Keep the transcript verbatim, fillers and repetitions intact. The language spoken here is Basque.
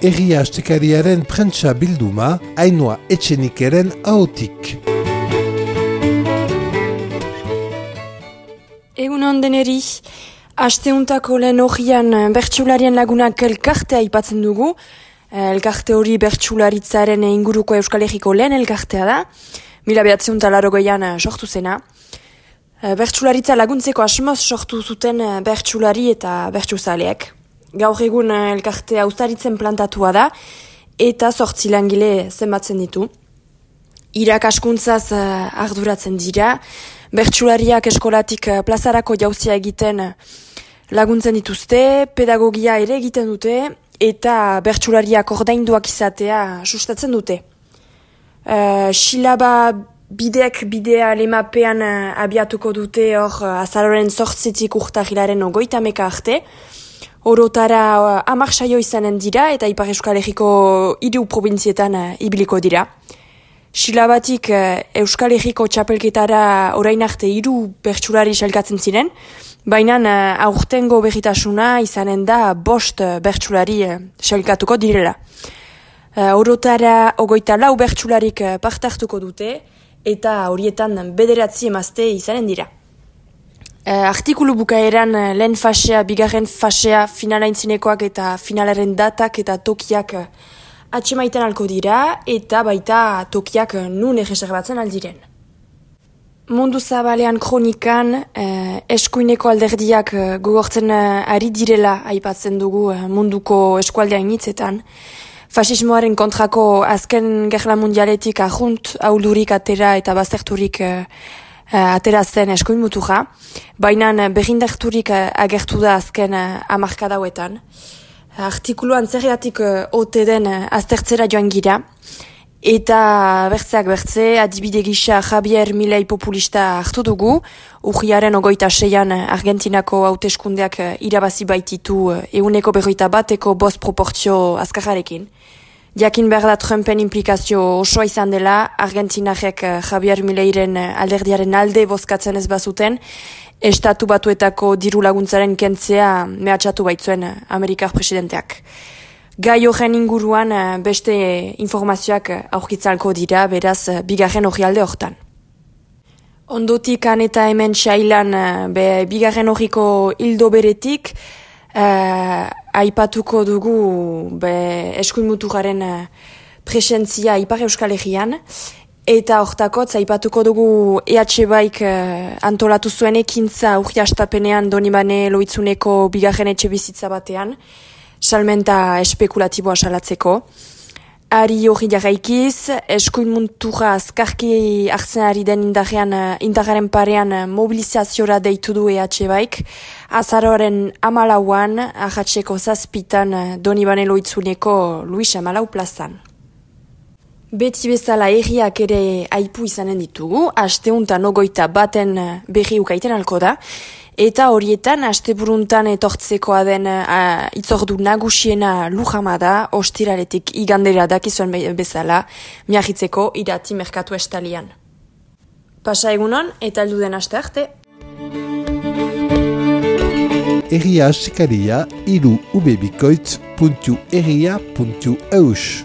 Herria Astekariaren prentsa bilduma, Ainhoa Etxenikeren ahotik. Egunon deneri, asteuntako lehen horian bertsularien lagunak elkartea aipatzen dugu. Elkarte hori bertsularitzaren inguruko Euskal Herriko lehen elkartea da. Mila behatzen talarogeian sortu zena. Bertsularitza laguntzeko asmoz sortu zuten bertsulari eta bertsuzaleek. Gaur egun elkartea ustaritzen plantatua da eta zortzi langile zenbatzen ditu. Irakaskuntzaz arduratzen dira, bertsulariak eskolatik plazarako jauzia egiten laguntzen dituzte, pedagogia ere egiten dute eta bertsulariak ordainduak izatea sustatzen dute. Uh, Silaba bideak bidea lemapean abiatuko dute hor azaroren zortzitik urtahilaren ogoitameka arte. Orotara hamar saio izanen dira eta Ipar Euskal Herriko hiru probintzietan ibiliko dira. Silabatik Euskal Herriko txapelketara orain arte hiru bertsulari sailkatzen ziren, baina aurtengo berritasuna izanen da bost bertsulari sailkatuko direla. Orotara ogoita lau bertsularik partartuko dute eta horietan bederatzi emazte izanen dira. Artikulu bukaeran lehen fasea, bigarren fasea, finalaintzinekoak eta finalaren datak eta tokiak atxemaiten alko dira eta baita tokiak nun erreserbatzen aldiren. Mundu zabalean kronikan eh, eskuineko alderdiak gogortzen ari direla aipatzen dugu munduko eskualdean hitzetan. Fasismoaren kontrako azken gerla mundialetik ahunt, auldurik atera eta bazterturik eh, atera zen eskuin mutuja, baina berrindarturik agertu da azken hamarkadauetan. Artikuluan zergatik ote den aztertzera joan gira, eta bertzeak bertze, adibide gisa Javier Milei populista hartu dugu, urriaren ogoita seian Argentinako hauteskundeak irabazi baititu ehuneko berroita bateko bost proportzio azkarrarekin. Jakin behar da Trumpen implikazio osoa izan dela, Argentinarek Javier Mileiren alderdiaren alde bozkatzen ez bazuten, estatu batuetako diru laguntzaren kentzea mehatxatu baitzuen Amerikar presidenteak. Gai horren inguruan beste informazioak aurkitzalko dira, beraz bigarren orrialde hortan. Ondotik han eta hemen xailan be, bigarren horriko hildo beretik, Uh, aipatuko dugu be, eskuin muturaren uh, presentzia Ipar Euskal Herrian, eta hortakotz aipatuko dugu E H Baik uh, antolatu zuen ekintza urri astapenean Donibane Loitzuneko bigarren etxe bizitza batean, salmenta espekulatiboa salatzeko. Ari hori jarraikiz, eskuin mutura azkarki hartzen ari den indarrean, indarraren parean mobilizaziora deitu du E H Baik, azaroaren amalauan, ahatzeko zazpitan Donibane Loitzuneko Luis Amalau plazan. Beti bezala herriak ere aipu izanen ditugu, asteuntan ogoita baten berri ukaiten alko da, eta horietan asteburuntan etortzekoa den uh, itzordu nagusiena Lujama da, ostiraretik igandera dakizuen bezala, miahitzeko irati merkatu estalian. Pasa egunon eta heldu den aste arte. Herria Astekaria hiru ubebikoitz puntu herria puntu eus